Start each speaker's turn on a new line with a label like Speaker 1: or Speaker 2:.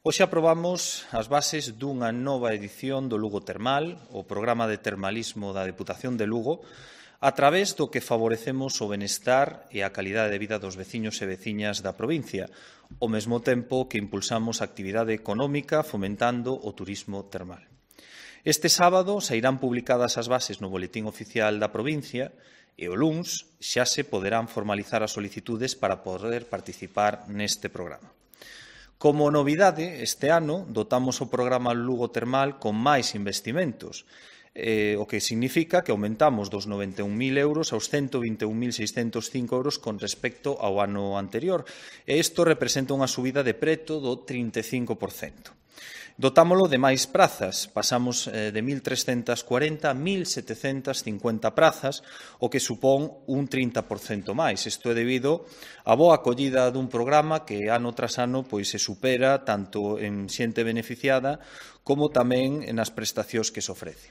Speaker 1: Hoxe aprobamos as bases dunha nova edición do Lugo Termal, o programa de termalismo da Deputación de Lugo, a través do que favorecemos o benestar e a calidade de vida dos veciños e veciñas da provincia, ao mesmo tempo que impulsamos a actividade económica fomentando o turismo termal. Este sábado sairán publicadas as bases no Boletín Oficial da provincia e o luns xa se poderán formalizar as solicitudes para poder participar neste programa. Como novidade, este ano dotamos o programa Lugo Termal con máis investimentos, o que significa que aumentamos dos 91.000 euros aos 121.605 euros con respecto ao ano anterior, e isto representa unha subida de preto do 35%. Dotámolo de máis prazas, pasamos de 1.340 a 1.750 prazas, o que supón un 30% máis. Isto é debido á boa acollida dun programa que ano tras ano se supera tanto en xente beneficiada como tamén nas prestacións que se ofrece.